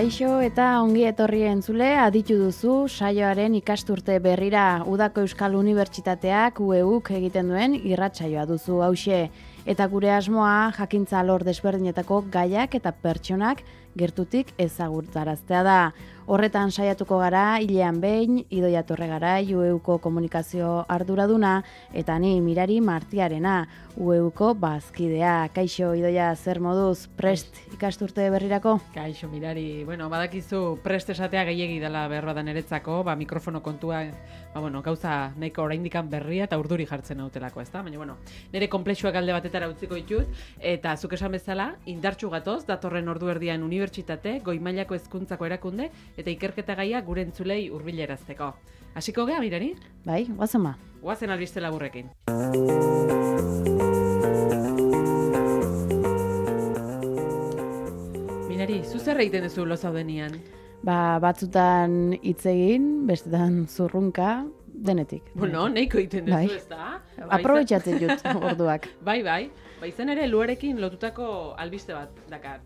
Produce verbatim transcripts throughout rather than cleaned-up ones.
Kaixo eta ongi etorri entzule, aditu duzu saioaren ikasturte berrira Udako Euskal Unibertsitateak U E Uk egiten duen irratsaioa duzu hauxe. Eta gure asmoa jakintza alor desberdinetako gaiak eta pertsonak gertutik ezagutaraztea da. Horretan saiatuko gara, hilean behin, Idoia Torregarai, U E Uko komunikazio arduraduna, eta ni Mirari Martiarena, U E Uko bazkidea. Kaixo, Idoia, zer moduz, prest ikasturte berrirako? Kaixo, Mirari, bueno, badakizu prest esatea gehiegi dela behar da niretzako, ba, mikrofono kontua, ba, bueno, gauza nahiko oraindikan berria eta urduri jartzen nautelako, ezta? Baina, bueno, nire konplexuak alde batetara utziko ditut, eta zuk esan bezala, indartsu gatoz, datorren ordu erdian unibertsitate, goi mailako hezkuntzako erakunde, eta ikerketa gaia gure entzulei hurbilerazteko. Hasiko gea, Mirari? Bai, guazen ba. Guazen albiste laburrekin. Mirari, zu zer egiten duzu lo zaudenian? Ba, batzutan hitz egin, bestetan zurrunka, denetik. Bueno, nahiko egiten duzu, bai. Ez da? Aprobetxatzen dut orduak. Bai, bai. Ba, izan ere, luarekin lotutako albiste bat dakar.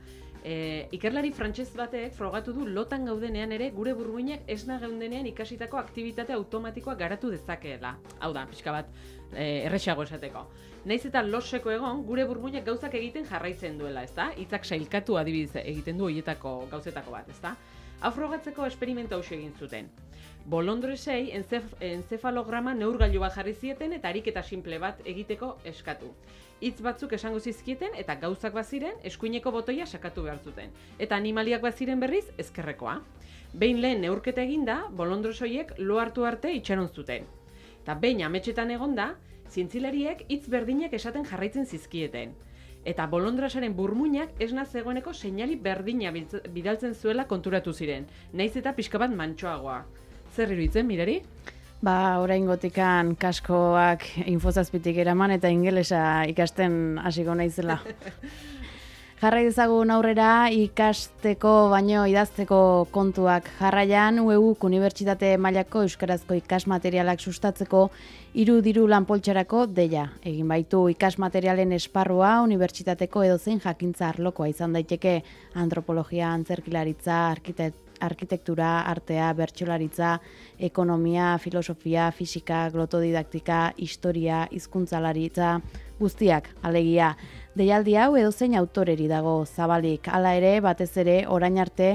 E, ikerlari frantses batek frogatu du lotan gaudenean ere gure burmuinak esna gaudenean ikasitako aktibitate automatikoa garatu dezakeela. Hau da, pixka bat e, erresago esateko. Naiz eta loseko egon, gure burmuinak gauzak egiten jarraitzen duela, ezta? Hitzak sailkatu adibidez egiten du horietako gauzetako bat, ezta? Hau frogatzeko esperimentu hauxe egin zuten. Bolondresei enzef, enzefalograma neurgailu bat jarri zieten eta ariketa simple bat egiteko eskatu. Hitz batzuk esango zizkieten eta gauzak baziren eskuineko botoia sakatu behar zuten. Eta animaliak baziren berriz ezkerrekoa. Behin lehen neurketa eginda, bolondresoiek lo hartu arte itxaron zuten. Eta behin ametsetan egonda, zientzilariek hitz berdinak esaten jarraitzen zizkieten. Eta bolondrasaren burmuinak esna zegoeneko seinali berdina bidaltzen zuela konturatu ziren, naiz eta pixka bat mantsoagoa. Zer iruditzen, Mirari? Ba, oraingotikan kaskoak infozazpitik eraman eta ingelesa ikasten hasiko naizela. Jarrai dezagun aurrera ikasteko baino idazteko kontuak jarraian U E Uk Unibertsitate mailako euskarazko ikasmaterialak sustatzeko hiru diru lanpoltsarako deia. Egin baitu ikasmaterialen esparrua unibertsitateko edozein jakintza arlokoa izan daiteke antropologia, antzerkilaritza, arkitektura, arkitektura, artea, bertsolaritza, ekonomia, filosofia, fisika, glotodidaktika, historia, hizkuntzalaritza, guztiak, alegia. Deialdi hau edozein autoreri dago zabalik, hala ere, batez ere, orain arte,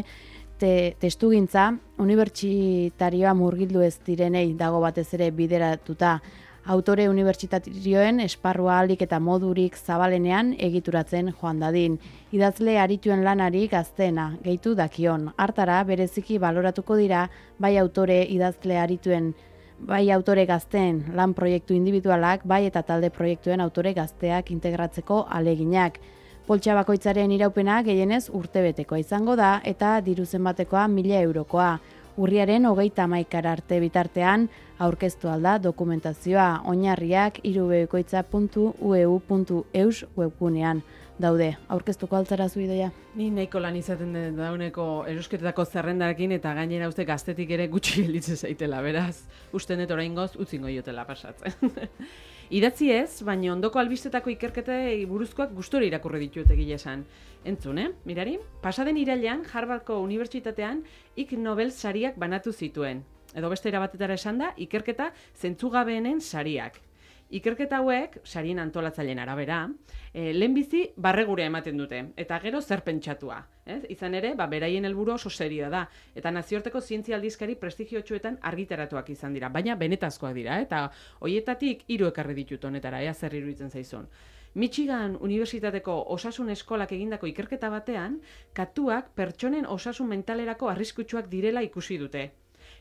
te, testugintza, unibertsitarioa murgildu ez direnei dago batez ere bideratuta, autore unibertsitarioen esparrua ahalik eta modurik zabalenean egituratzen joan dadin. Idazle arituen lanari gazteena, gehitu dakion. Hartara, bereziki baloratuko dira, bai autore idazle arituen, bai autore gazteen lan proiektu individualak, bai eta talde proiektuen autore gazteak integratzeko aleginak. Poltsa bakoitzaren iraupena gehienez urtebetekoa izango da eta diru zenbatekoa mila eurokoa. Urriaren hogeita hamaikara arte bitartean aurkeztu alda dokumentazioa oinarriak hirubekoitza puntu u e u puntu e u s webgunean daude. Aurkeztuko altzara zu Idoia? Ni nahiko lan izaten den dauneko erosketetako zerrendarekin eta gainera uste gaztetik ere gutxi gelditzen zaitela, beraz, uste net oraingoz utzingo jotela pasatzen. Idatzi ez, baina ondoko albistetako ikerketei buruzkoak gustora irakurri ditut egia esan. Entzun, eh? Mirari, pasaden irailean Harvardko Unibertsitatean Ig Nobel sariak banatu zituen. Edo beste erabatetara esan da, ikerketa zentzugabeenen sariak. Ikerketa hauek, sarien antolatzaileen arabera, eh, lehenbizi barregurea ematen dute, eta gero zer pentsatua. Ez? Izan ere, ba, beraien helburu oso serioa da, eta nazioarteko zientzia aldizkari prestigiotsuetan argitaratuak izan dira, baina benetazkoak dira, eta hoietatik hiru ekarri ditut honetara, ea zer iruditzen zaizun. Michigan Unibertsitateko osasun eskolak egindako ikerketa batean, katuak pertsonen osasun mentalerako arriskutsuak direla ikusi dute.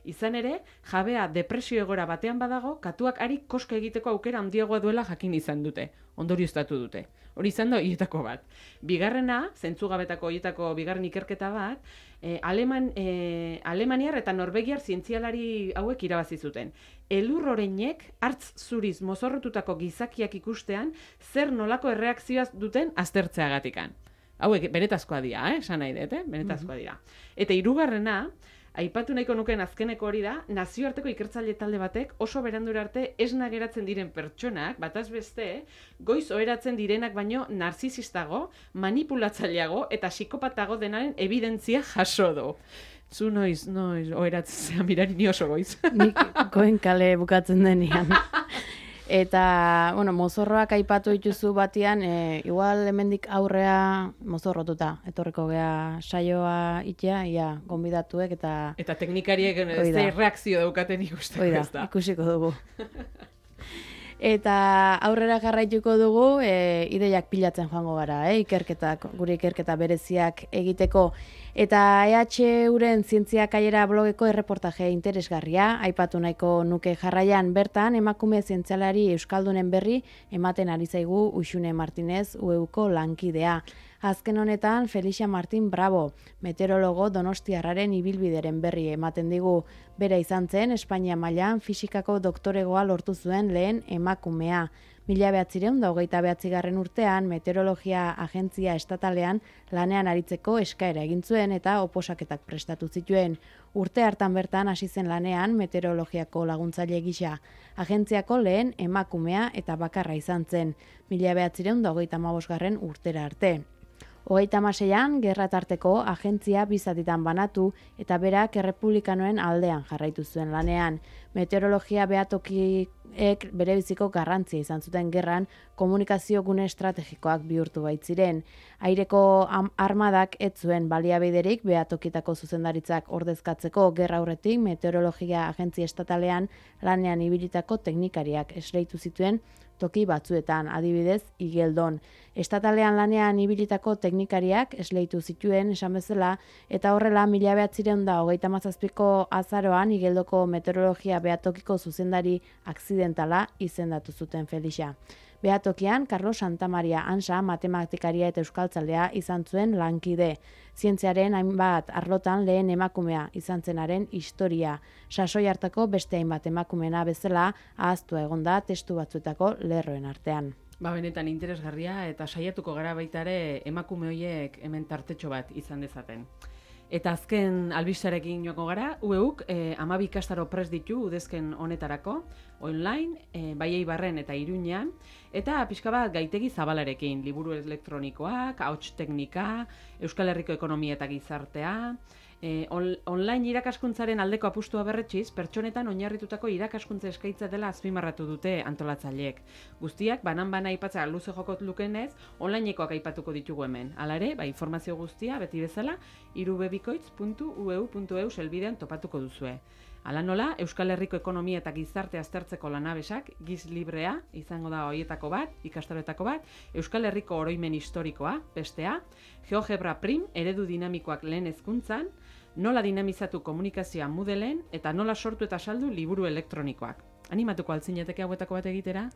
Izan ere, jabea depresio egoera batean badago, katuak ari koska egiteko aukera handiagoa duela jakin izan dute. Ondorioztatu dute. Hori izan da horietako bat. Bigarrena, zentzugabetako horietako bigarren ikerketa bat, eh, Aleman, eh, Alemaniar eta Norvegiar zientzialari hauek irabazi zuten. Elur oreinek hartz zuriz mozorrotutako gizakiak ikustean zer nolako erreakzioa duten aztertzeagatikan. Hauek benetazkoa dira, eh? Esan nahi dut, eh? Benetazkoa dira. Eta hirugarrena, Aipatu nahiko nuken azkeneko hori da, nazioarteko ikertzaile talde batek oso berandura arte esna geratzen diren pertsonak, bataz beste, goiz oheratzen direnak baino narzisistago, manipulatzaileago eta psikopatago denaren evidentzia jaso du. Zu noiz, noiz, oheratzen zea mirari ni oso goiz. Nik goen kale bukatzen denean. Eta, bueno, mozorroak aipatu dituzu batian, e, igual hemendik aurrea mozorrotuta. Etorreko gea saioa itea, ia, gonbidatuek eta... Eta teknikariek ze reakzio daukaten ikusteko ez da. Ikusiko dugu. Eta aurrera jarraituko dugu, e, ideiak pilatzen joango gara, e, ikerketak, gure ikerketa bereziak egiteko. Eta E H Uren zientzia kaiera blogeko erreportaje interesgarria, aipatu nahiko nuke jarraian bertan, emakume zientzialari euskaldunen berri ematen ari zaigu Uxune Martinez U E Uko lankidea. Azken honetan, Felicia Martin Bravo, meteorologo donostiarraren ibilbideren berri ematen digu. Bera izan zen, Espainia mailan fisikako doktoregoa lortu zuen lehen emakumea. Mila behatzireun da hogeita behatzigarren urtean, meteorologia agentzia estatalean lanean aritzeko eskaera egin zuen eta oposaketak prestatu zituen. Urte hartan bertan hasi zen lanean meteorologiako laguntzaile gisa. Agentziako lehen emakumea eta bakarra izan zen. Mila behatzireun da hogeita hamabosgarren urtera arte. Hogeita hamaseian, gerra tarteko agentzia bizatitan banatu eta berak errepublikanoen aldean jarraitu zuen lanean. Meteorologia behatokiek bere biziko garrantzia izan zuten gerran komunikazio gune estrategikoak bihurtu baitziren. Aireko armadak ez zuen baliabiderik behatokitako zuzendaritzak ordezkatzeko gerra aurretik meteorologia agentzia estatalean lanean ibilitako teknikariak esleitu zituen toki batzuetan, adibidez, Igeldon. Estatalean lanean ibilitako teknikariak esleitu zituen esan bezala, eta horrela mila behatzireun da hogeita hamazazpiko azaroan Igeldoko meteorologia behatokiko zuzendari akzidentala izendatu zuten Felicia. Behatokian, Carlos Santamaria Ansa, matematikaria eta euskaltzalea izan zuen lankide. Zientziaren hainbat arlotan lehen emakumea izan zenaren historia. Sasoi hartako beste hainbat emakumeena bezala ahaztua egonda testu batzuetako lerroen artean. Ba, benetan interesgarria eta saiatuko gara baita ere emakume horiek hemen tartetxo bat izan dezaten. Eta azken albistarekin joako gara, U E Uk eh, hamabi ikastaro prest ditu udezken honetarako, online, eh, bai Eibarren eta Iruñean, eta pixka bat gaitegi zabalarekin, liburu elektronikoak, ahots teknika, Euskal Herriko ekonomia eta gizartea, eh, on, online irakaskuntzaren aldeko apustua berretxiz, pertsonetan oinarritutako irakaskuntza eskaintza dela azpimarratu dute antolatzaileek. Guztiak, banan-bana aipatzea luze jokot lukenez, onlinekoak aipatuko ditugu hemen. Hala ere, ba, informazio guztia, beti bezala, irubebikoitz puntu u e u puntu e u selbidean topatuko duzue. Hala nola, Euskal Herriko ekonomia eta gizarte aztertzeko lanabesak, giz librea, izango da horietako bat, ikastaroetako bat, Euskal Herriko oroimen historikoa, bestea, GeoGebra Prim, eredu dinamikoak lehen hezkuntzan, nola dinamizatu komunikazioa Moodleen, eta nola sortu eta saldu liburu elektronikoak. Animatuko altzineteke hauetako bat egitera?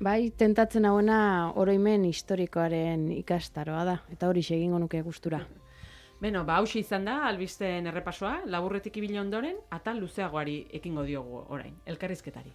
Bai, tentatzen hauena oroimen historikoaren ikastaroa da, eta hori egingo nuke gustura. Beno, ba, hauxe izan da, albisteen errepasoa, laburretik ibili ondoren, atal luzeagoari ekingo diogu orain, elkarrizketari.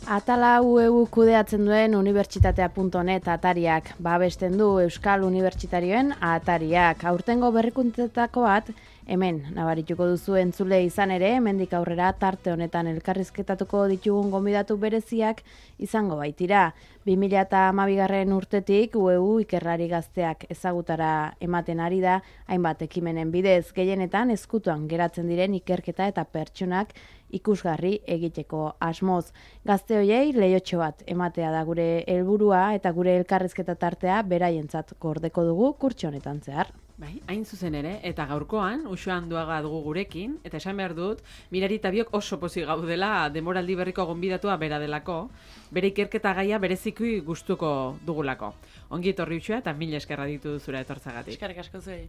Atala U E U kudeatzen duen unibertsitatea puntu net atariak, babesten du Euskal Unibertsitarioen atariak. Aurtengo berrikuntzetako bat, hemen nabarituko duzu entzule izan ere, hemendik aurrera tarte honetan elkarrizketatuko ditugun gonbidatu bereziak izango baitira. bi mila hamabigarren urtetik U E U ikerlari gazteak ezagutara ematen ari da, hainbat ekimenen bidez, gehienetan ezkutuan geratzen diren ikerketa eta pertsonak ikusgarri egiteko asmoz. Gazte hoiei leiotxo bat ematea da gure helburua eta gure elkarrizketa tartea beraientzat gordeko dugu kurtso honetan zehar. Bai, hain zuzen ere, eta gaurkoan, Uxo Anduaga dugu gurekin, eta esan behar dut, Mirari eta biok oso pozik gaudela demoraldi berriko gonbidatua bera delako, bere ikerketa gaia bereziki gustuko dugulako. Ongi etorri Uxoa eta mila eskerra ditu duzura etortzagatik. Eskerrik asko zuei.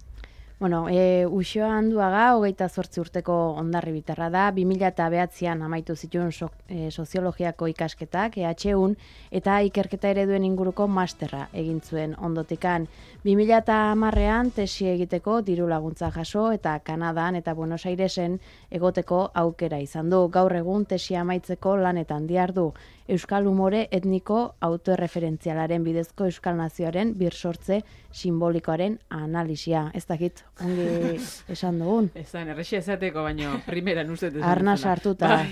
Bueno, e, Uxoa Anduaga, hogeita zortzi urteko hondarribitarra da, bi mila bederatzian amaitu zituen so, e, soziologiako ikasketak, E H Un, eta ikerketa ereduen inguruko masterra egin zuen ondotikan. bi mila hamarrean tesi egiteko diru laguntza jaso eta Kanadan eta Buenos Airesen egoteko aukera izan du. Gaur egun tesi amaitzeko lanetan dihardu. Euskal umore etniko autoerreferentzialaren bidezko Euskal Nazioaren birsortze simbolikoaren analisia. Ez dakit, ongi esan dugun. Ezan, errexia esateko, baino, primeran uste. Arna sartuta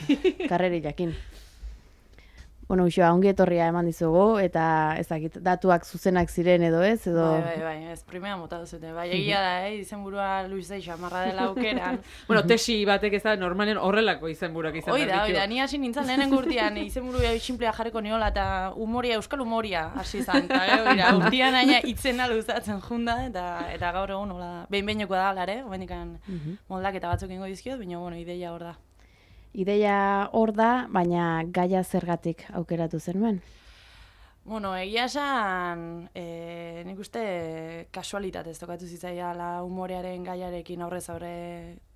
karreri jakin. Bueno, Uxoa, ongi etorria eman dizugu, eta ez dakit, datuak zuzenak ziren edo ez, edo... Bai, bai, bai, ez primera mota duzute. Bai, egia da, eh, izenburua Luis xamarra dela aukeran. Bueno, tesi batek ez da, normalen horrelako izenburuak izan Hoi da, hoi da, ni hasi nintzen lehenen gurtian, izenburua simplea jarreko niola, eta umoria, euskal umoria hasi zan. Eta gero, gira, urtian aina itzena luzatzen junda, eta, eta gaur egun, hola, behin-behineko da, alare, bendikan moldaketa batzuk ingo dizkiot, baina, bueno, ideia hor da. Ideia hor da, baina gaia zergatik aukeratu zenuen? Bueno, egia esan, e, nik uste kasualitatez tokatu zitzaiala umorearen gaiarekin aurrez aurre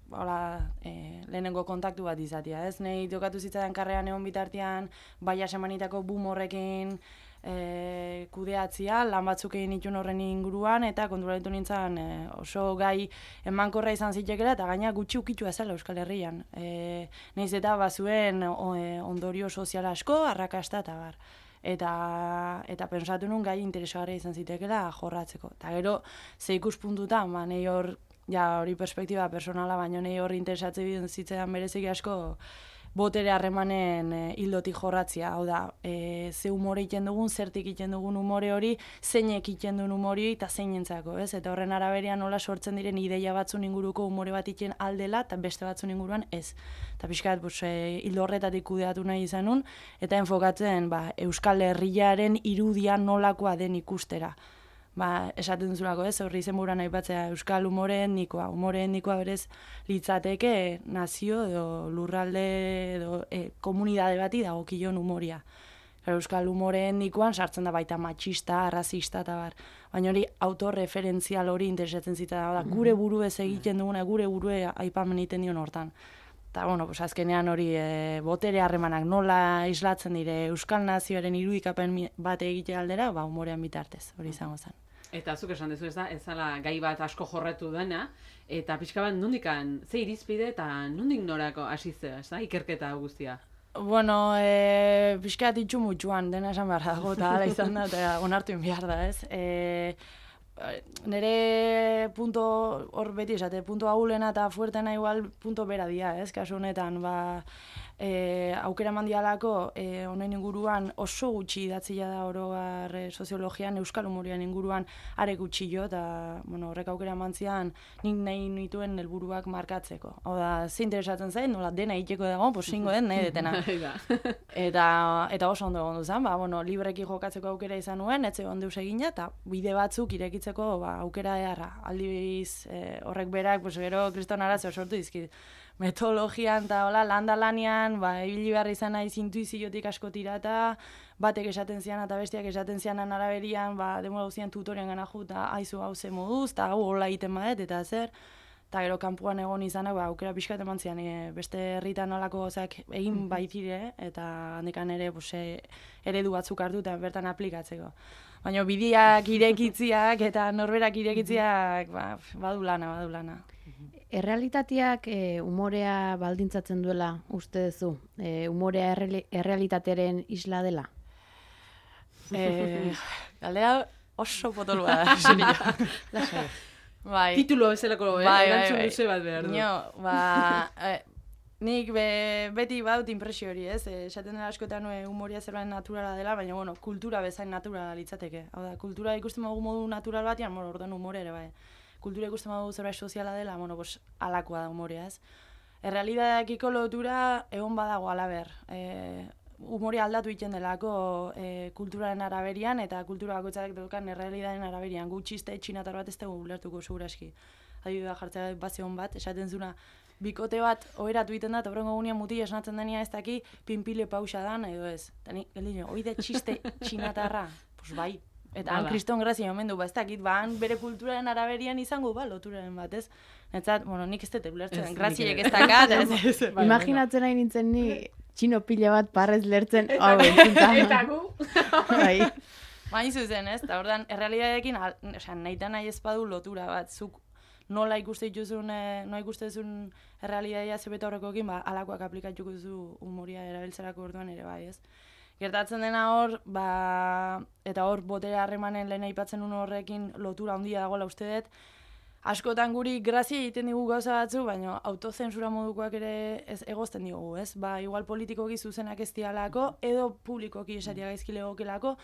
hola, e, lehenengo kontaktu bat izatea, ez? Nei tokatu zitzaidan karrean egon bitartean, baia semanitako boom horrekin e, kudeatzia, lan batzuk egin itun horren inguruan, eta konturatu nintzen e, oso gai emankorra izan zitekela, eta gaina gutxi ukitua zela Euskal Herrian. E, Naiz eta bazuen o, e, ondorio sozial asko, arrakasta eta bar. Eta, eta pensatu nun gai interesgarria izan zitekela jorratzeko. Eta gero, ze ikuspuntutan, ba, nahi hor, ja hori perspektiba personala, baina nahi hor interesatzen zitzaidan bereziki asko, botere harremanen e, hildotik jorratzia, hau da, e, ze umore iten dugun, zertik iten dugun umore hori, zeinek iten duen umore eta zeinentzako, ez? Eta horren araberian nola sortzen diren ideia batzun inguruko umore bat iten aldela, eta beste batzun inguruan ez. Eta pixkat, bus, e, hildo horretatik kudeatu nahi izanun, eta enfokatzen ba, Euskal Herriaren irudia nolakoa den ikustera. Ba, esaten duzulako, ez, horri izenburuan aipatzea Euskal umore etnikoa. Umore etnikoa berez litzateke nazio edo lurralde edo e, komunidade bati dagokien umoria. Euskal umore etnikoan sartzen da baita matxista, arrazista eta bar. Baina hori autorreferentzial hori interesatzen zita da, gure burue egiten duguna, gure burue aipamen egiten dion hortan. Eta, bueno, pues azkenean hori e, botere harremanak nola islatzen dire Euskal Nazioaren irudikapen bat egite aldera, ba, umorean bitartez, hori izango zen. Eta zuk esan dezu ez da, ez zala gai bat asko jorretu dena, eta pixka bat nondikan, ze irizpide eta nondik norako hasi zea, ez da, ikerketa guztia? Bueno, e, pixka bat itxu mutxuan, dena esan behar dago, eta ala izan da, eta onartu behar da, ez? E, nere punto hor beti esate, punto ahulena eta fuertena igual punto bera dia, ez? Kasu honetan, ba, e, aukera mandialako e, honen inguruan oso gutxi idatzia da orogar e, soziologian, euskal umorian inguruan are gutxi jo, eta bueno, horrek aukera mantzian nik nahi nituen helburuak markatzeko. Hau da, ze interesatzen zait, nola dena egiteko dago, posingo den, nahi detena. eta, eta oso ondo egon duzan, ba, bueno, libreki jokatzeko aukera izan nuen, etxe ondo deus egina, eta bide batzuk irekitzeko ba, aukera eharra. Aldiz e, horrek berak, pues, gero kriston arazo sortu dizkit. Metodologian eta hola, landa lanian, ba, ibili behar izan naiz intuiziotik asko tirata, batek esaten zian eta bestiak esaten zianan araberian, ba, demora guztian tutorian gana ju, eta aizu hau ze moduz, eta hau hola egiten badet, eta zer, eta gero kanpoan egon izanak, ba, aukera pixkat eman zian, e, beste herritan nolako gozak egin baitire, eta handikan ere, pues, e, eredu batzuk hartu eta bertan aplikatzeko. Baina bideak irekitziak eta norberak irekitziak, ba, badu lana, badu lana. Errealitateak e, umorea baldintzatzen duela uste duzu? E, umorea erre, errealitatearen isla dela? E, galdera oso potolua da, serio. Lasai. Bai. Titulo bezalako bai, bai, erantzun bai. luze bat behar du. Nio, ba, e, nik be, beti badut impresio hori, ez? E, esaten dela askotan e, umoria zerbait naturala dela, baina, bueno, kultura bezain naturala litzateke. Hau da, kultura ikusten dugu modu natural batean, bueno, orduan umore ere, bai. Kultura ikusten dugu zerbait soziala dela, bueno, pues, alakoa da umorea, ez? Errealitateakiko lotura egon badago alaber. E, umorea aldatu egiten delako e, kulturaren araberian, eta kultura bakoitzak daukan errealitatearen araberian. Gutxiste txinatar bat ez dugu ulertuko seguraski. Adibidea jartzea bazion bat, esaten zuna, bikote bat oheratu egiten da, eta horrengo gunean muti esnatzen denia ez daki pinpile pausa dan, edo ez. Eta ni, geldin, oide txiste txinatarra, pues bai, Eta han kriston grazia omen du, ba, ez dakit, ba, han bere kulturaren araberian izango, ba, loturaren bat, ez? Netzat, bueno, nik ez dut ulertzen, graziek ez dakat, ez? Imaginatzen nahi nintzen ni, txino pila bat parrez lertzen, hau entzuta. Eta gu. Bai. Bain zuzen, ez? Eta ordan errealidadekin, osea, nahi eta nahi ezpadu lotura bat, zuk nola ikuste dituzun, nola ikuste duzun errealidadea zebeta horrekoekin, ba, alakoak aplikatuko duzu humoria erabiltzerako orduan ere bai, ez? Gertatzen dena hor, ba, eta hor botere harremanen lehen aipatzen un horrekin lotura handia dagoela uste dut, askotan guri grazia egiten digu gauza batzu, baina autozensura modukoak ere ez egozten digugu, ez? Ba, igual politikoki zuzenak ez dialako, edo publikoki esatia gaizki legokelako,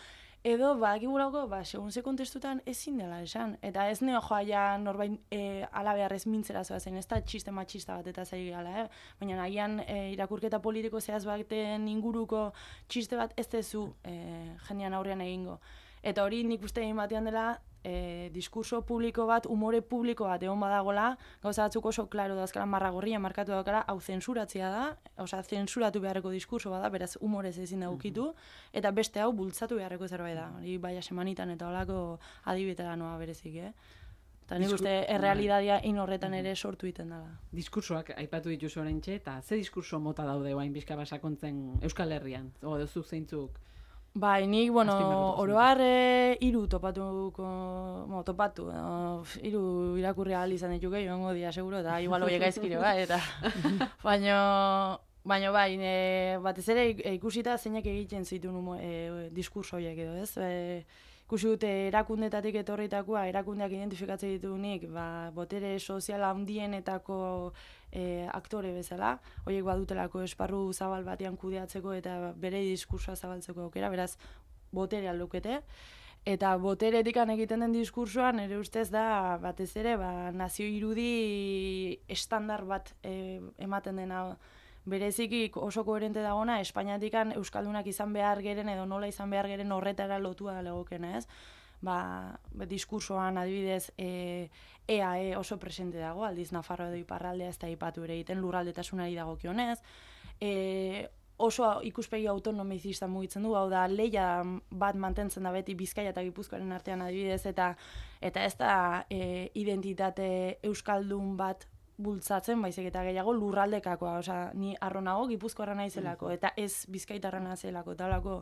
edo, ba, egibulako, ba, segun ze kontestutan ezin dela esan. Eta ez neo joa ja norbait e, alabearrez mintzera zoazen, ez da txiste matxista bat eta zai gala, eh? Baina nahian e, irakurketa politiko zehaz baten inguruko txiste bat ez dezu e, jendean aurrean egingo. Eta hori nik uste egin batean dela, E, diskurso publiko bat, umore publiko bat egon badagola, gauza batzuk oso klaro dazkala marra gorria markatu daukala, hau zensuratzea da, osea, zensuratu beharreko diskurso bada, beraz humorez ezin da ukitu, eta beste hau bultzatu beharreko zerbait da. Hori baia semanitan eta holako adibetera noa berezik, eh? Eta nik uste errealidadia in horretan ere sortu egiten dela. Diskursoak aipatu dituzu oraintxe, eta ze diskurso mota daude guain bizka basakontzen Euskal Herrian? O, duzu zeintzuk? Bai, nik, bueno, oroar e, iru topatuko, bueno, topatu, no, iru irakurri ahal izan dituke, joango dia, seguro, eta igual horiek gaizkire, bai, eta, baino, baino, bai, e, batez ere ikusita zeinak egiten zituen e, diskurso horiek edo, ez? E, ikusi dute erakundetatik etorritakoa, erakundeak identifikatzen ditugunik, ba, botere sozial handienetako e, aktore bezala, horiek badutelako esparru zabal batean kudeatzeko eta bere diskursoa zabaltzeko aukera, beraz, boterea lukete. Eta boteretikan egiten den diskursoan, ere ustez da, batez ere, ba, nazio irudi estandar bat e, ematen dena, bereziki oso koherente dagona, Espainiatikan euskaldunak izan behar geren edo nola izan behar geren horretara lotua legokena, ez? Ba, diskursoan adibidez e, E A E oso presente dago, aldiz Nafarroa edo iparraldea ez da aipatu ere egiten lurraldetasunari dagokionez. E, oso ikuspegi autonomizista mugitzen du, hau da, leia bat mantentzen da beti Bizkaia eta Gipuzkoaren artean adibidez, eta eta ez da e, identitate euskaldun bat bultzatzen, baizik eta gehiago lurraldekakoa, osea, ni arronago Gipuzkoarra naizelako, eta ez Bizkaitarra naizelako, eta holako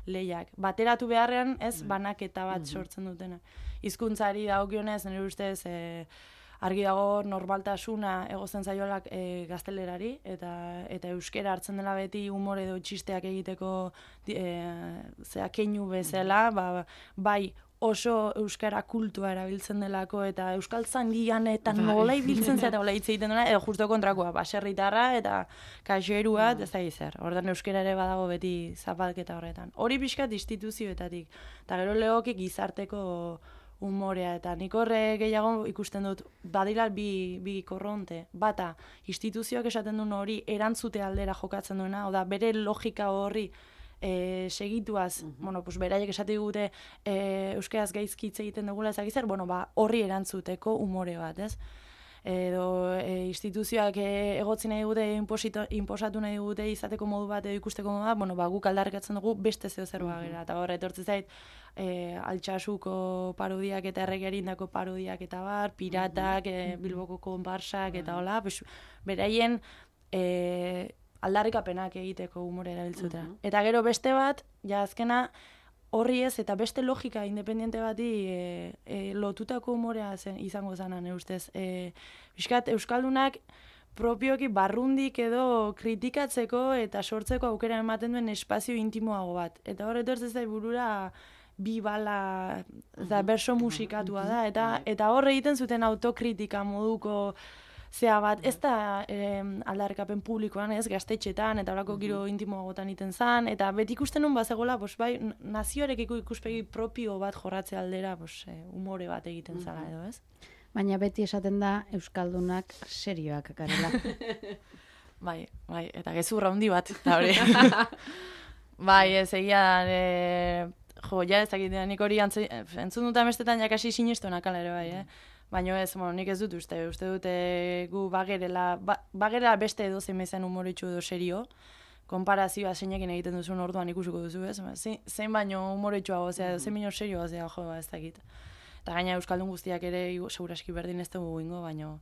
lehiak. Bateratu beharrean, ez, banaketa bat sortzen dutena. Hizkuntzari dagokionez, nire ustez, e, argi dago normaltasuna egosten zaioak e, gaztelerari, eta eta euskera hartzen dela beti humore edo txisteak egiteko e, zea keinu bezala, ba, bai, oso euskara kultua erabiltzen delako eta euskaltzandian eta nola ibiltzen zeta hola hitz egiten dena, edo justo kontrakoa, baserritarra eta kaxeru bat, ez da zer. Ordan euskara ere badago beti zapalketa horretan. Hori pixkat instituzioetatik, eta gero legoki gizarteko umorea, eta nik horre gehiago ikusten dut, badira bi, bi korronte. Bata, instituzioak esaten duen hori erantzute aldera jokatzen duena, oda bere logika horri E, segituaz, uh-huh. bueno, pues beraiek esate digute e, euskaraz gaizki hitz egiten dugula ezak zer, bueno, ba, horri erantzuteko umore bat, ez? Edo e, instituzioak e, egotzi nahi dugute, inposatu nahi dugute izateko modu bat edo ikusteko modu bat, bueno, ba, guk aldarrikatzen dugu beste zeo zer uh-huh. bagera, eta horre etortzen zait, e, Altxasuko parodiak eta erregerindako parodiak eta bar, piratak, uh-huh. e, Bilboko konparsak eta hola, pues, beraien e, aldarrikapenak egiteko humore erabiltzutera. Uh-huh. Eta gero beste bat, ja azkena horri ez, eta beste logika independiente bati e, e, lotutako humorea zen, izango zanan, ustez. E, Biskat, euskaldunak propioki barrundik edo kritikatzeko eta sortzeko aukera ematen duen espazio intimoago bat. Eta hor etortzen zait burura bi bala, eta berso musikatua da, eta, eta hor egiten zuten autokritika moduko zea bat, ez da eh, aldarrikapen publikoan, ez, gaztetxetan, eta horako giro intimoagotan iten zan, eta beti ikusten nun bazegoela, bos, bai, nazioarekiko ikuspegi propio bat jorratze aldera, bos, eh, umore bat egiten zala edo, ez? Baina beti esaten da euskaldunak serioak garela. Bai, bai, eta gezurra handi bat, eta hori. Bai, ez egia da, e, jo, ja ez dakit, nik hori entzun dut amestetan jakasi sinestunak ala ere bai, eh? Baina ez, bueno, nik ez dut uste, uste dute gu bagerela, ba, bagerela beste edo zein bezan humoritxu edo serio, konparazioa zeinekin egiten duzun orduan ikusiko duzu, ez? Zein, zein baino humoretsuago, ozea, mm-hmm. zein baino serioa, ozea, jo, ez dakit. Eta gaina Euskaldun guztiak ere, seguraski berdin ez dugu ingo, baino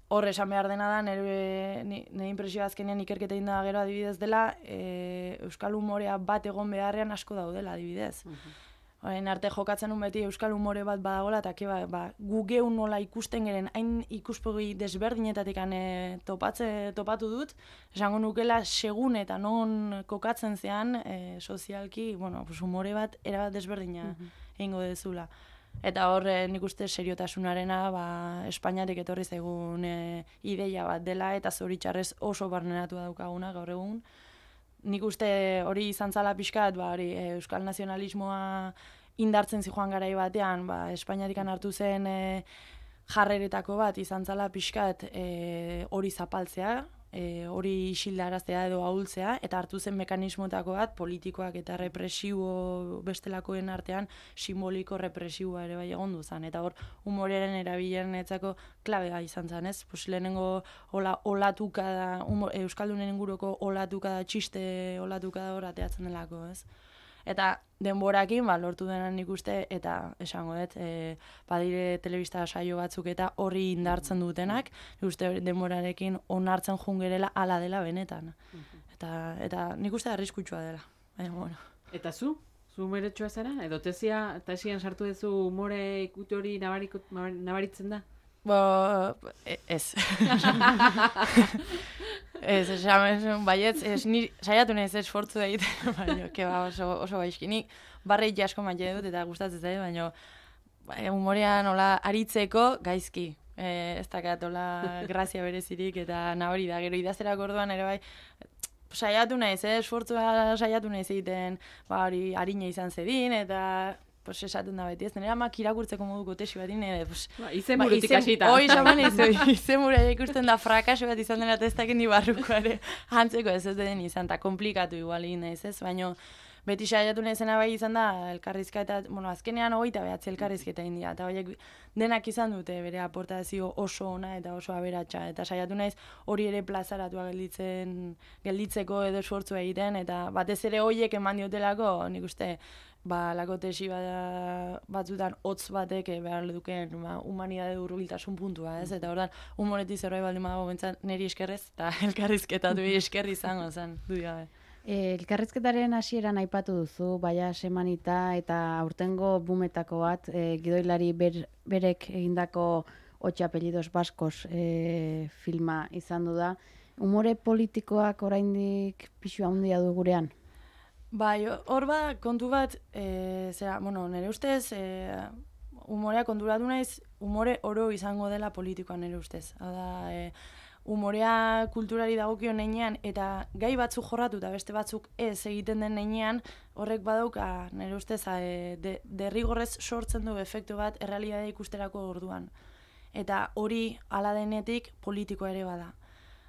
hor esan behar dena da, nire, nire impresioa azkenean ikerketa inda gero adibidez dela, e, Euskal humorea bat egon beharrean asko daudela adibidez. Mm-hmm. Orain arte jokatzen un beti Euskal humore bat badagola, eta ba, ba, gu geun nola ikusten geren, hain ikuspegi desberdinetatik e, topatze, topatu dut, esango nukela segun eta non kokatzen zean e, sozialki, bueno, pues humore bat erabat desberdina mm-hmm. egingo dezula. Eta hor nik uste seriotasunarena ba, Espainiatik etorri zaigun e, ideia bat dela, eta zoritxarrez oso barneratu daukaguna gaur egun. Nik uste hori izan zala pixkat, ba, hori, e, euskal nazionalismoa indartzen zijoan garai batean, ba, Espainiatikan hartu zen e, jarreretako bat izan zala pixkat e, hori zapaltzea, e, hori isildaraztea edo ahultzea, eta hartu zen mekanismotako bat, politikoak eta represibo bestelakoen artean simboliko represiboa ere bai egon duzan. Eta hor, humoreren erabilen etzako klabea izan zen, ez? Pues, lehenengo hola, olatuka da, humor, Euskaldunen inguruko olatuka da, txiste olatuka da hor ateatzen delako, ez? Eta denborakin, ba, lortu denan nik uste, eta esango dut, e, badire telebista saio batzuk eta horri indartzen dutenak, nik uste denborarekin onartzen jungerela ala dela benetan. Eta, eta nik uste arriskutsua dela. Baina, bueno. Eta zu? Zu humoretxoa zara? Edo tesia, tesian sartu duzu humore ikutu hori nabaritzen da? Bo, ez. Ez, esan baietz, ez, ni saiatu nahiz esfortzu da egiten, baina, keba oso, oso gaizki. Nik barreik asko maite dut eta gustatzen zait, baina humorean hola aritzeko gaizki. E, ez dakat hola grazia berezirik eta nabari da, gero idazterak orduan ere bai, saiatu nahiz, eh, esfortzua saiatu nahiz egiten, ba hori harina izan zedin, eta pues esaten da beti, ez nire amak irakurtzeko moduko tesi bat ine, pues... Ba, izen burutik hasita. Hoi, xaman izu, izen burutik ikusten da frakaso bat izan dena testak ni barrukoare hantzeko ez ez den izan, eta komplikatu igual egin naiz, ez? Baina beti saiatu nahizena bai izan da, elkarrizka eta, bueno, azkenean hogeita behatzi elkarrizketa india, eta horiek denak izan dute bere aportazio oso ona eta oso aberatsa, eta saiatu naiz hori ere plazaratua gelditzen, gelditzeko edo esfortzua egiten, eta batez ere horiek eman diotelako, nik uste, ba, lako tesi bat, batzutan hotz batek behar duken ba, humanidade hurbiltasun puntua, ez? Eta ordan humoretiz zerbait baldin badago bentsat niri eskerrez, eta elkarrizketatu eskerri izango zen, du gabe. E, elkarrizketaren hasieran aipatu duzu, baia semanita eta aurtengo bumetako bat, e, gidoilari ber, berek egindako Ocho apellidos baskos e, filma izan du da. Humore politikoak oraindik pisu handia du gurean? Bai, hor ba, kontu bat, e, zera, bueno, nire ustez, e, humorea konturatu naiz, humore oro izango dela politikoa nire ustez. Hada, e, humorea kulturari dagokio neinean, eta gai batzuk jorratu eta beste batzuk ez egiten den neinean, horrek badauka, nire ustez, e, de, derrigorrez sortzen du efektu bat errealitatea ikusterako orduan. Eta hori hala denetik politikoa ere bada.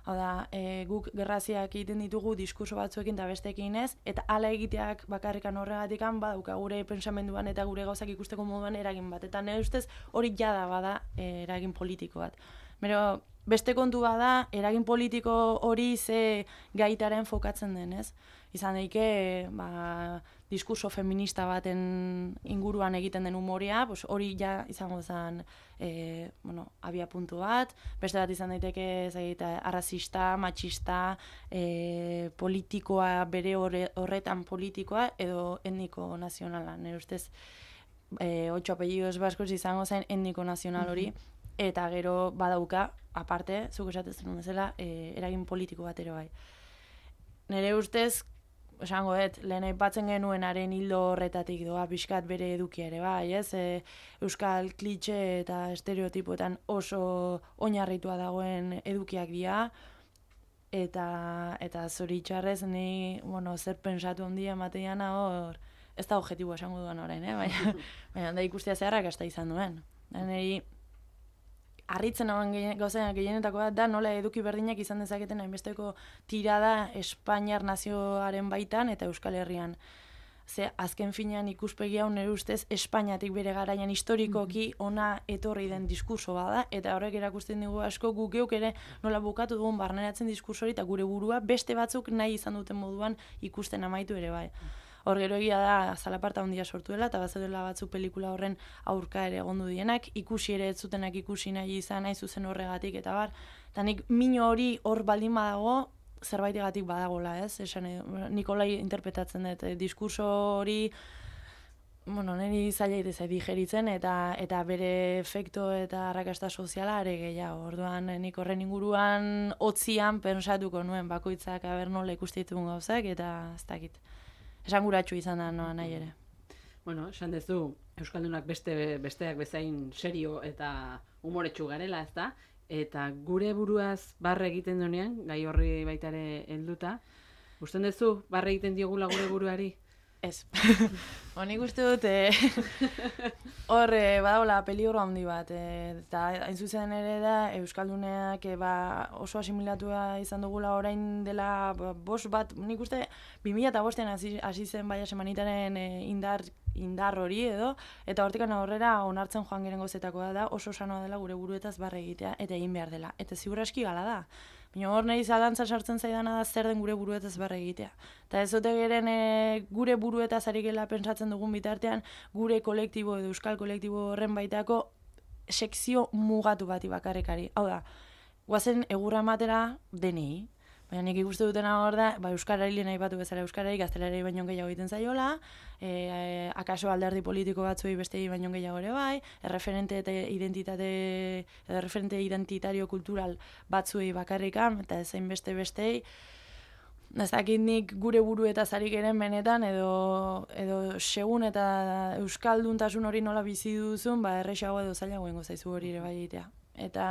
Hau da, e, guk gerraziak egiten ditugu diskurso batzuekin eta besteekin ez, eta hala egiteak bakarrikan horregatikan badauka gure pensamenduan eta gure gauzak ikusteko moduan eragin bat. Eta nire ustez hori jada bada e, eragin politiko bat. Bero, beste kontu bada, eragin politiko hori ze gaitaren fokatzen den, ez? Izan daike, ba, diskurso feminista baten inguruan egiten den humorea, pues hori ja izango zen e, bueno, abia puntu bat, beste bat izan daiteke zaita, arrazista, matxista, e, politikoa, bere horretan politikoa, edo etniko nazionala. Nire ustez, e, Ocho apellidos baskos izango zen etniko nazional hori, eta gero badauka, aparte, zuk esatzen bezala, e, eragin politiko bat ere bai. Nire ustez, esango dut, lehen aipatzen genuenaren hildo horretatik doa pixkat bere edukia ere bai, ez? E, euskal klitxe eta estereotipoetan oso oinarritua dagoen edukiak dira, eta, eta zoritxarrez ni, bueno, zer pensatu handia emateana hor, ez da objetibo esango duan orain, eh? Baina, baina da ikustea zeharrak hasta izan duen. Niri, harritzen hauen gauzenak gehienetako bat da nola eduki berdinak izan dezaketen hainbesteko tirada Espainiar nazioaren baitan eta Euskal Herrian. ze azken finean ikuspegi hau nire ustez Espainiatik bere garaian historikoki ona etorri den diskurso bada, eta horrek erakusten digu asko guk geuk ere nola bukatu dugun barneratzen diskurso hori eta gure burua beste batzuk nahi izan duten moduan ikusten amaitu ere bai. Hor gero egia da zalaparta handia sortu dela, eta bazeudela batzuk pelikula horren aurka ere egondu dienak, ikusi ere ez zutenak ikusi nahi izan, nahi zuzen horregatik, eta bar, eta nik mino hori hor baldin badago, zerbaitegatik badagola, ez? Esan, Nikolai interpretatzen dut, diskurso hori, bueno, niri zaila itezai digeritzen, eta, eta bere efekto eta arrakasta soziala are gehiago. Orduan, nik horren inguruan hotzian pensatuko nuen bakoitzak aber nola ikuste ditugun gauzak, eta ez dakit. Esanguratsu izan da noa nahi ere. Bueno, esan dezu, Euskaldunak beste, besteak bezain serio eta umoretsu garela, ez da? Eta gure buruaz barre egiten duenean, gai horri baita ere helduta, usten dezu, barre egiten diogula gure buruari? Ez. Honik uste dut, eh, hor eh, badagoela peligro handi bat, eh, eta hain zuzen ere da, Euskalduneak eh, ba, oso asimilatua izan dugula orain dela ba, bost bat, nik uste, bi mila eta bostean hasi, hasi zen baia semanitaren eh, indar, indar hori edo, eta hortikan aurrera onartzen joan geren gozetakoa da, oso sanoa dela gure buruetaz barre egitea, eta egin behar dela. Eta ziur aski gala da. Baina hor nahi zalantza sartzen zaidana da zer den gure buruetaz barre egitea. Eta ez dute geren e, gure buruetaz ari gela pentsatzen dugun bitartean, gure kolektibo edo euskal kolektibo horren baitako sekzio mugatu bati bakarrekari. Hau da, guazen egurra ematera denei. Baina nik ikuste dutena hor da, ba, euskarari lehen aipatu bezala euskarari, gaztelarari baino gehiago egiten zaiola, e, e, akaso alderdi politiko batzuei bestei baino gehiago ere bai, erreferente eta identitate, erreferente identitario kultural batzuei bakarrikan, eta ezain beste bestei, ez dakit nik gure buruetaz ari geren benetan, edo, edo segun eta euskalduntasun hori nola bizi duzun, ba, errexago edo zailago ingo zaizu hori ere bai egitea. Eta,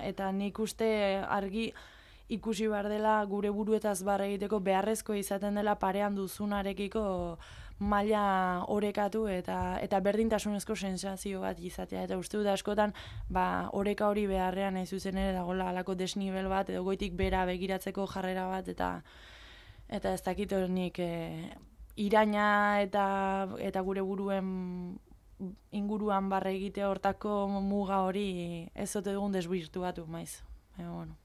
eta nik uste argi, ikusi behar dela gure buruetaz barre egiteko beharrezko izaten dela parean duzunarekiko maila orekatu eta eta berdintasunezko sensazio bat izatea. Eta uste dut askotan ba, oreka hori beharrean nahi zuzen ere dagoela halako desnibel bat edo goitik bera begiratzeko jarrera bat eta eta ez dakit nik e, iraina eta, eta gure buruen inguruan barre egitea hortako muga hori ez ote dugun desbirtuatu maiz. E, bueno.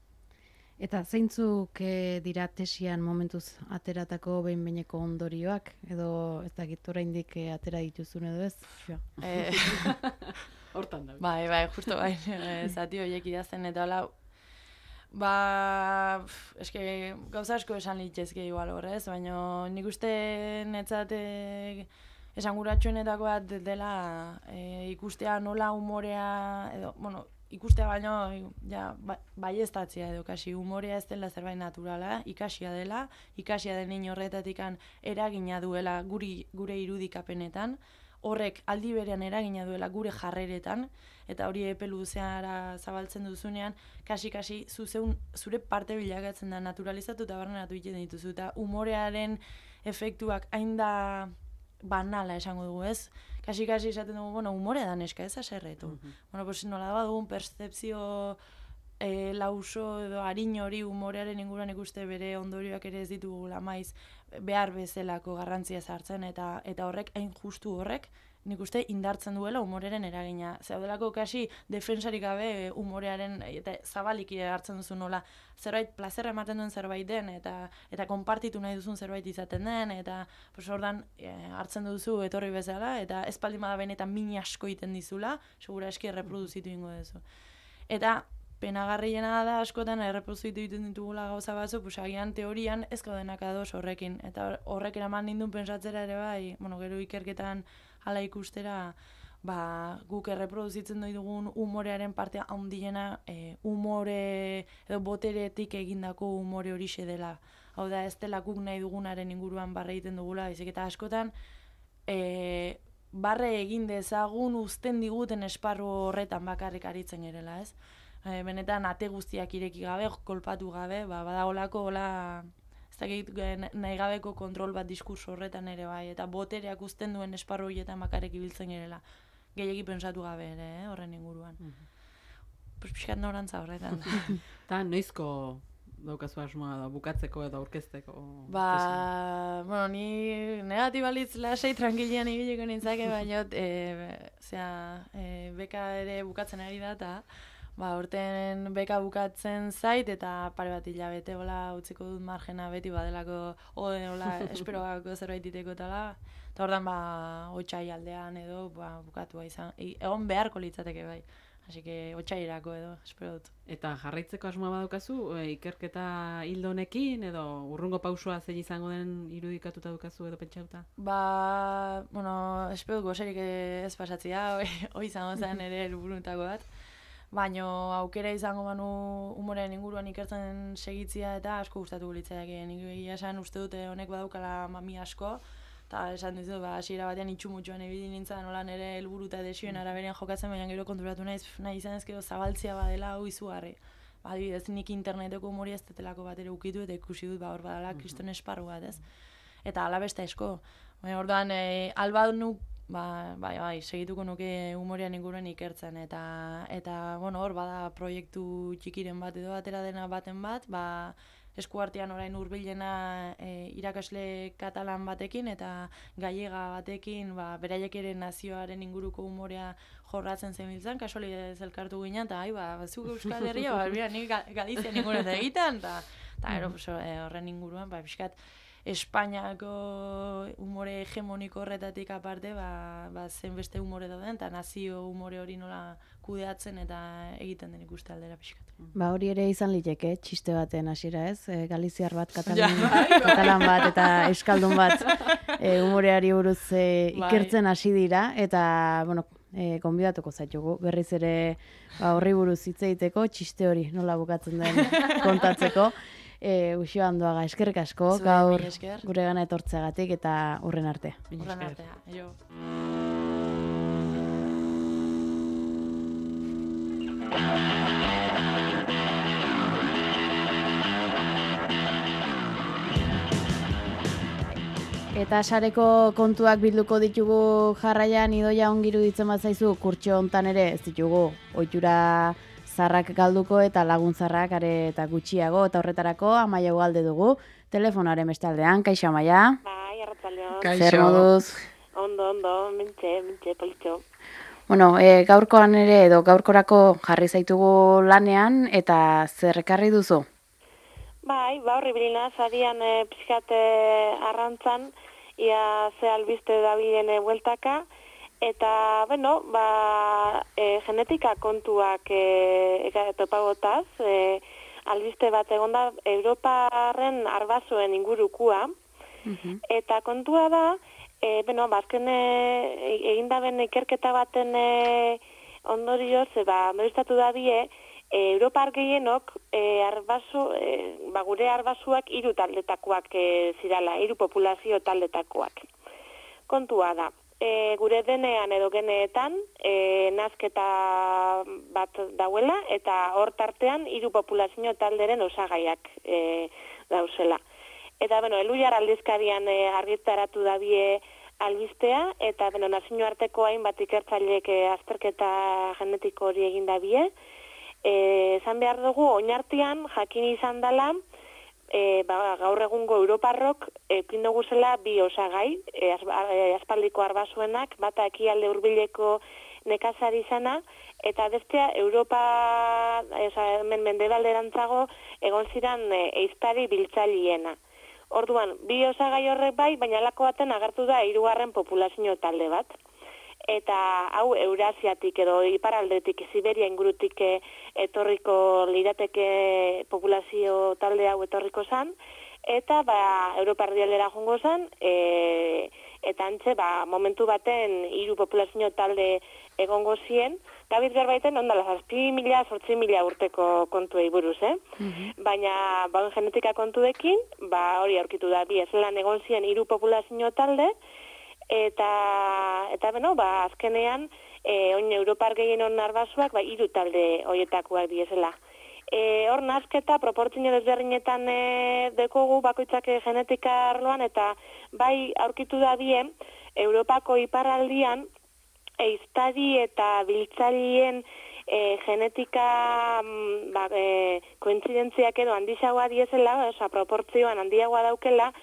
Eta zeintzuk e, dira tesian momentuz ateratako behin-behineko ondorioak, edo ez dakit oraindik e, atera dituzun edo ez? Eh, Hortan da. Bai, bai, justo bai, zati horiek idazten eta hola, ba, eske gauza asko esan litzezke igual horrez, baina nik uste netzat esanguratsuenetako bat dela e, ikustea nola umorea, edo, bueno, ikustea baino ja, baieztatzea edo kasi umorea ez dela zerbait naturala, ikasia dela, ikasia den hein horretatikan eragina duela guri, gure irudikapenetan, horrek aldi berean eragina duela gure jarreretan, eta hori epe luzeara zabaltzen duzunean, kasi-kasi zuzeun, zure parte bilakatzen da naturalizatu eta barrenatu egiten dituzu, eta umorearen efektuak hain da banala esango dugu, ez? Kasi-kasi esaten dugu, bueno, humore da neska, ez aserretu. Uh-huh. Bueno, pues nola da dugun percepzio e, lauso edo harin hori umorearen inguruan ikuste bere ondorioak ere ez ditugula maiz behar bezalako garrantzia sartzen eta eta horrek hain justu horrek nik uste indartzen duela umoreren eragina. Zaudelako kasi defensarik gabe umorearen eta zabalik hartzen duzu nola zerbait plazerra ematen duen zerbait den eta eta konpartitu nahi duzun zerbait izaten den eta pues ordan e, hartzen duzu etorri bezala eta ez baldin bada benetan min asko egiten dizula, segura eski erreproduzitu ingo duzu. Eta penagarriena da askotan erreproduzitu egiten ditugula gauza batzuk, pues agian teorian ez gaudenak ados horrekin eta horrek eraman nindun pentsatzera ere bai, bueno, gero ikerketan hala ikustera, ba, guk erreproduzitzen doi dugun umorearen partea handiena e, umore edo boteretik egindako umore horixe dela. Hau da, ez dela guk nahi dugunaren inguruan barre egiten dugula, baizik eta askotan e, barre egin dezagun uzten diguten esparru horretan bakarrik aritzen gerela, ez? E, benetan ate guztiak ireki gabe, kolpatu gabe, ba, badagolako hola ez dakit nahi gabeko kontrol bat diskurso horretan ere bai, eta botereak uzten duen esparru horietan bakarrik ibiltzen gerela. Gehiegi pensatu gabe ere, eh, horren inguruan. Mm-hmm. Pues pixkat norantza horretan. Eta noizko daukazu asmoa da, bukatzeko edo aurkezteko? Ba, bueno, ni negatibalitz lasei tranquilian ibiliko nintzake, baina e, zera, e, beka ere bukatzen ari da, eta ba, urten beka bukatzen zait, eta pare bat hilabete, hola, utziko dut margena beti badelako, hola, esperoako zerbait diteko tala, eta ordan ba, otxai aldean edo, ba, bukatua izan, egon beharko litzateke bai. Así que otxairako edo, espero dut. Eta jarraitzeko asmoa badaukazu, e, ikerketa hildo honekin, edo urrungo pausua zein izango den irudikatuta dukazu edo pentsauta? Ba, bueno, espero dut gozerik ez pasatzea, hoi izango zen ere helburutako bat. Baina aukera izango banu umorearen inguruan ikertzen segitzia eta asko gustatu litzateke. Nik egia esan uste dute honek badaukala mami asko, eta esan dizu, ba, hasiera batean itxumutxuan ebili nintzen, nola nire helburu eta desioen araberean jokatzen, baina gero konturatu naiz, nahi izan ez gero zabaltzia badela hau izugarri. Ba, adibidez, nik interneteko humori ez detelako bat ere ukitu eta ikusi dut, ba, hor badala kriston esparru bat, ez? Eta alabesta esko. Baina orduan, e, alba nuk, ba, bai, bai, segituko nuke humorean inguruan ikertzen, eta, eta, bueno, hor bada proiektu txikiren bat edo atera dena baten bat, ba, eskuartean orain hurbilena e, irakasle katalan batekin eta gallega batekin, ba, beraiek ere nazioaren inguruko humorea jorratzen zebiltzan, kasualidadez elkartu ginen, eta ai, ba, zuk Euskal Herria, ba, bera, nik Galizian inguruan eta egiten, eta ero, horren inguruan, ba, pixkat, Espainiako humore hegemoniko horretatik aparte, ba, ba, zen beste humore dauden, eta nazio humore hori nola kudeatzen eta egiten den ikuste aldera pixkat. Ba, hori ere izan liteke, txiste baten hasiera ez, e, galiziar bat, katalan, katalan bat eta euskaldun bat e, humoreari buruz e, ikertzen hasi dira, eta, bueno, e, konbidatuko zaitugu, berriz ere ba, horri buruz hitz egiteko, txiste hori nola bukatzen den kontatzeko. E, Uxio Andoaga, eskerrik asko, Zue, gaur esker. gure gana etortzeagatik eta hurren arte. Horren artea, jo. Eta sareko kontuak bilduko ditugu jarraian, Idoia ongiru ditzen bat zaizu, kurtxo hontan ere ez ditugu ohitura zarrak galduko eta lagun zarrak are eta gutxiago, eta horretarako Amaia Ugalde dugu, telefonaren bestaldean. Kaixo, Amaia? Bai, arratsaldeon. Zer moduz? Ondo, ondo, mentxe, mentxe, politxo. Bueno, e, gaurkoan ere edo gaurkorako jarri zaitugu lanean, eta zer ekarri duzu? Bai, ba horri bilina, zarian e, pixkat arrantzan, ia ze albiste dabilen e, bueltaka, eta, bueno, ba, e, genetika kontuak e, e, topagotaz, e, albiste bat egonda Europarren arbasoen ingurukua, uh-huh. Eta kontua da, e, bueno, bazken e, egindaben ikerketa baten e, ondorioz, e, ba, ondoristatu da die, e, Europar gehienok e, arbaso, e, ba, gure arbasuak hiru taldetakoak e, zirala, hiru populazio taldetakoak. Kontua da, e, gure denean edo geneetan e, nazketa bat dauela, eta hor tartean hiru populazio talderen osagaiak e, dauzela. Eta, bueno, Eluyar aldizkarian e, argitaratu dabie albistea, eta, bueno, nazioarteko hainbat ikertzaileek e, azterketa genetiko hori egin dabie. Esan behar dugu, oinartian jakin izan dela, e, ba, gaur egungo Europarrok ekin dugu zela bi osagai, e, aspaldiko arbasuenak, bata ekialde hurbileko nekazari izana, eta bestea Europa, eza, men mendebalderantzago, egon ziren e, eiztari biltzaliena. Orduan, bi osagai horrek bai, baina lako baten agertu da hirugarren populazio talde bat. Eta hau Eurasiatik edo iparaldetik, Siberia ingurutik etorriko lirateke populazio talde hau etorriko zan, eta ba, Europa erdialdera jongo zan, e, eta antxe ba, momentu baten hiru populazio talde egongo zien, gabiz berbaiten ondala zazpi mila, zortzi mila urteko kontuei buruz, eh? Mm-hmm. Baina bauen genetika kontuekin, ba, hori aurkitu da, bi ezelan egon zien hiru populazio talde, eta, eta beno, ba, azkenean, e, oin Europar gehien hon arbasuak, ba, hiru talde horietakoak diezela. E, hor nazketa, proportzio desberdinetan e, dekogu bakoitzak genetika arloan, eta bai aurkitu da bien, Europako iparraldian, eiztari eta biltzarien e, genetika ba, e, kointzidentziak edo handiagoa diezela, oza, proportzioan handiagoa daukela,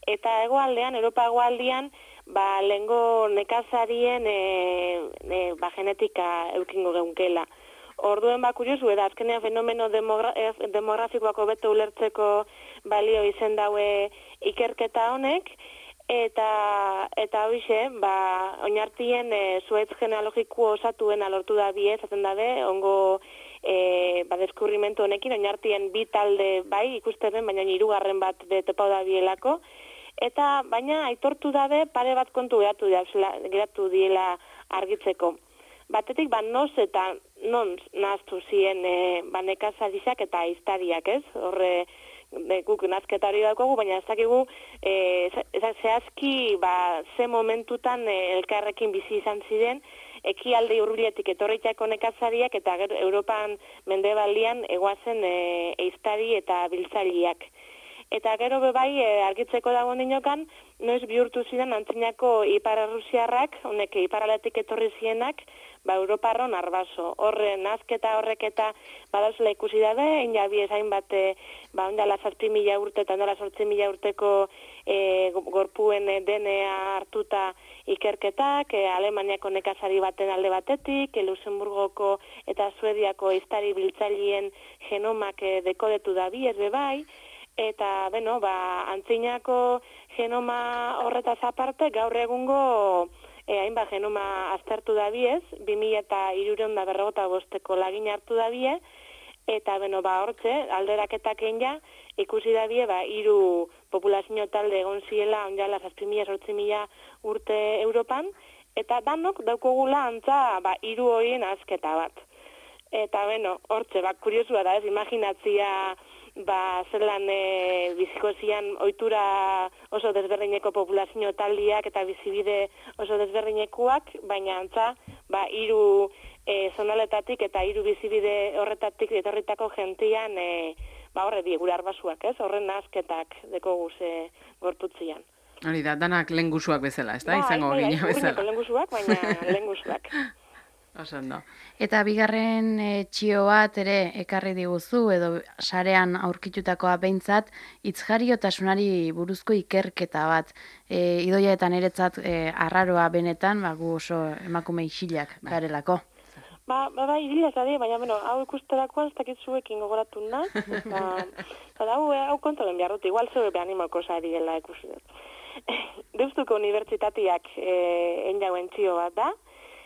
eta hegoaldean, Europa hegoaldean, ba, lehengo nekazarien e, e, ba, genetika eukingo geunkela. Orduen ba, kuriosu, eta azkenean fenomeno demogra demografikoak hobeto ulertzeko balio izen daue ikerketa honek, eta eta hoize, ba, oinartien e, zuetz genealogiko osatuen alortu da bie, zaten dabe, ongo e, ba, deskurrimentu honekin, oinartien bi talde bai ikusten, baina hirugarren bat de topau da bielako, eta baina aitortu dabe pare bat kontu geratu, geratu diela argitzeko. Batetik, ba, noz eta non naztu ziren e, ba, nekazariak eta aiztariak, ez? Horre, de, guk nazketa hori daukagu, baina ez dakigu e, zehazki ba, ze momentutan e, elkarrekin bizi izan ziren, ekialde hurbiletik etorritako nekazariak eta gero Europan mendebaldian egoazen e, aiztari eta biltzaileak. Eta gero bebai e, argitzeko dagoen dinokan, noiz bihurtu ziren antzinako ipar errusiarrak, honek iparaletik etorri zienak, ba, Europarron arbaso. Horre, nazketa horrek eta badauzela ikusi dabe, inabi ezain bat, e, ba, ondala zazpi mila urte eta ondala sortzi mila urteko e, gorpuen D N A hartuta ikerketak, e, Alemaniako nekazari baten alde batetik, e, Luxemburgoko eta Suediako aiztari biltzaileen genomak e, dekodetu da bi, ez bebai, eta, beno, ba, antzinako genoma horretaz aparte, gaur egungo e, hainbat genoma aztertu da biez, bi mila eta hirureun da berrogota bosteko lagin hartu da bie, eta, beno, ba, hortze, alderaketak ja, ikusi da bie, ba, hiru populazio talde egon ziela, onjala, zazpi mila, sortzi mila urte Europan, eta danok daukogula antza, ba, hiru horien azketa bat. Eta, beno, hortze, ba, kuriosua da, ez, imaginatzia, ba, zelan e, biziko zian ohitura oso desberdineko populazio taldiak eta bizibide oso desberdinekuak, baina antza, ba, hiru e, zonaletatik eta hiru bizibide horretatik etorritako gentian, e, ba, horre die gure arbasuak, ez? Horren nazketak deko guze gorputzian. Hori da, danak lengusuak bezala, ez da? Ba, izango bai, gina bai, bezala. lengusuak, baina lengusuak. Osando. Eta bigarren e, txio bat ere ekarri diguzu edo sarean aurkitutakoa behintzat hitzjariotasunari buruzko ikerketa bat. E, idoia eta niretzat e, arraroa benetan, ba, gu oso emakume isilak garelako. Ba, ba, ba, idila zade, baina, bueno, hau ikusterakoan ez dakit zuekin gogoratu naz, eta, eta hau, hau kontolen behar dut, igual zeu behan imoko zariela ikusi dut. Deustuko unibertsitateak e, enjauen txio bat da,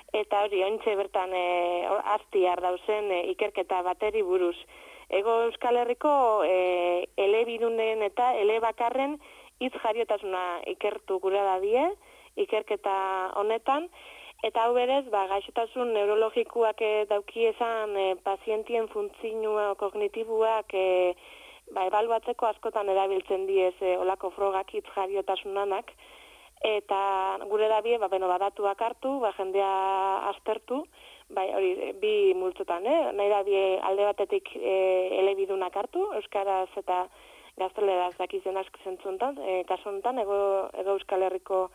eta hori, ontxe bertan e, aztiar dauzen e, ikerketa bateri buruz. Ego Euskal Herriko e, elebidunen eta elebakarren hitz jariotasuna ikertu gure da die, ikerketa honetan, eta hau berez, ba, gaixotasun neurologikoak e, dauki esan e, pazientien funtzioa kognitibuak e, ba, ebaluatzeko askotan erabiltzen diez e, olako frogak hitz jariotasunanak, eta gure da bie, ba, beno, badatuak hartu, ba, jendea aztertu, bai, hori, bi multzotan, eh? Nahi da bie alde batetik e, elebidunak hartu, euskaraz eta gazteleraz dakizen aski zentzuntan, e, kasu honetan, ego, ego Euskal Herriko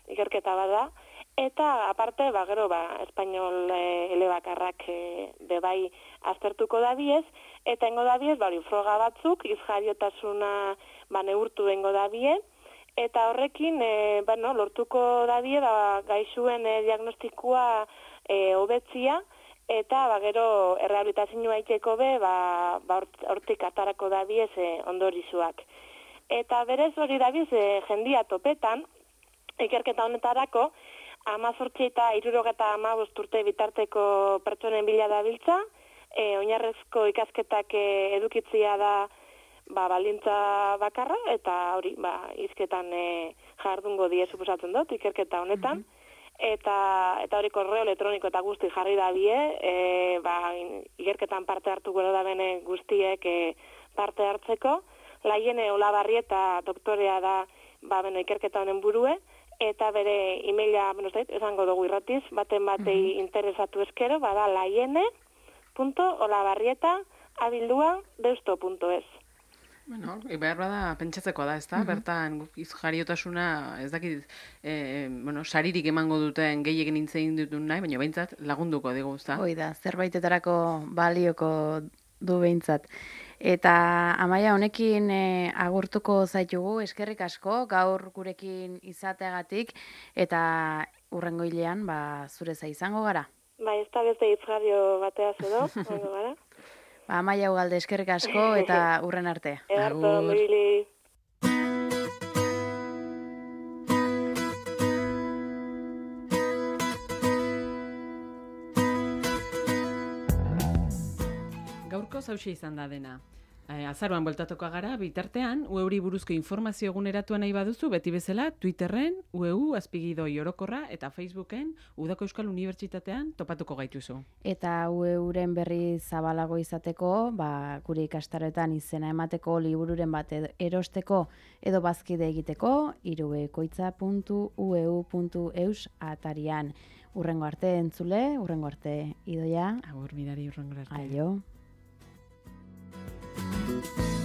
ikerketa bada, eta aparte, ba, gero, ba, espainol e, elebakarrak e, bebai aztertuko da biez, eta engo da biez, ba, hori, froga batzuk, izjariotasuna ba, neurtu engo da bie, eta horrekin, e, bueno, lortuko dadie, ba, gaixuen e, diagnostikoa e, hobetzia, eta ba, gero errehabilitazioa iteko be, ba, ba, hortik atarako dabiez e, ondorizuak. Eta berez hori dabiez e, jendia topetan, ikerketa honetarako, amazortzi eta irurogeta amabost urte bitarteko pertsonen bila dabiltza, e, oinarrezko ikasketak e, edukitzia da ba, balintza bakarra, eta hori, ba, izketan e, jardungo die suposatzen dut, ikerketa honetan, mm-hmm. eta eta hori korreo elektroniko eta guzti jarri da bie, e, ba, ikerketan parte hartu gero da bene guztiek e, parte hartzeko, Laiene Olabarrieta doktorea da, ba, beno, ikerketa honen burue, eta bere emaila, beno, zait, esango dugu irratiz, baten batei mm-hmm. interesatu eskero, bada laiene punto olabarrieta abildua deusto punto es. Bueno, behar bada pentsatzeko da, ez da? Mm-hmm. Bertan jariotasuna, ez dakit, e, bueno, saririk emango duten gehiegen intzein dutun nahi, baina behintzat lagunduko digu, ez da? Hoi da, zerbaitetarako balioko du behintzat. Eta Amaia, honekin e, agurtuko zaitugu, eskerrik asko, gaur gurekin izateagatik, eta urrengo hilean, ba, zure za izango gara. Bai, ez da beste itzgario bateaz edo, ondo gara. Ba, Amaia Ugalde, eskerrik asko eta urren arte. Edarto, mibili. Gaurko zauxe izan da dena. E, azaroan bueltatuko gara, bitartean, U E uri buruzko informazio eguneratua nahi baduzu, beti bezala, Twitterren, U E U, azpigidoi orokorra, eta Facebooken, Udako Euskal Unibertsitatean topatuko gaituzu. Eta U E uren berri zabalago izateko, ba, gure ikastaroetan izena emateko libururen bat erosteko edo bazkide egiteko, irubekoitza puntu u e u puntu eus atarian. Urrengo arte entzule, urrengo arte Idoia. Agur, mirari urrengo arte. Aio. Thank you.